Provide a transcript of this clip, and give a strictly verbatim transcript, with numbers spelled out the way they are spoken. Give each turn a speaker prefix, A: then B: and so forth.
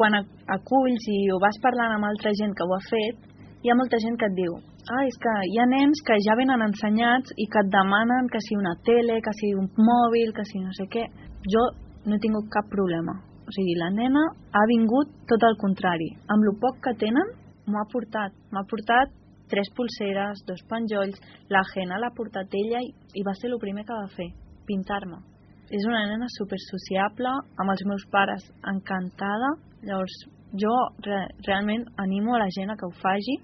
A: quan aculls i ho vas parlant amb altra gent que ho ha fet, hi ha molta gent que et diu ah, és que hi ha nens que ja venen ensenyats i que et demanen que si una tele, que si un mòbil, que si no sé què. Jo no he tingut cap problema. O sigui, la nena ha vingut tot el contrari. Amb lo poc que tenen, m'ho ha portat. M'ha portat tres pulseres, dos penjolls, la Jena l'ha portat ella i, i va ser el primer que va fer, pintar-me. És una nena super sociable, amb els meus pares encantada. Llavors, jo re, realment animo a la gent a que ho faci,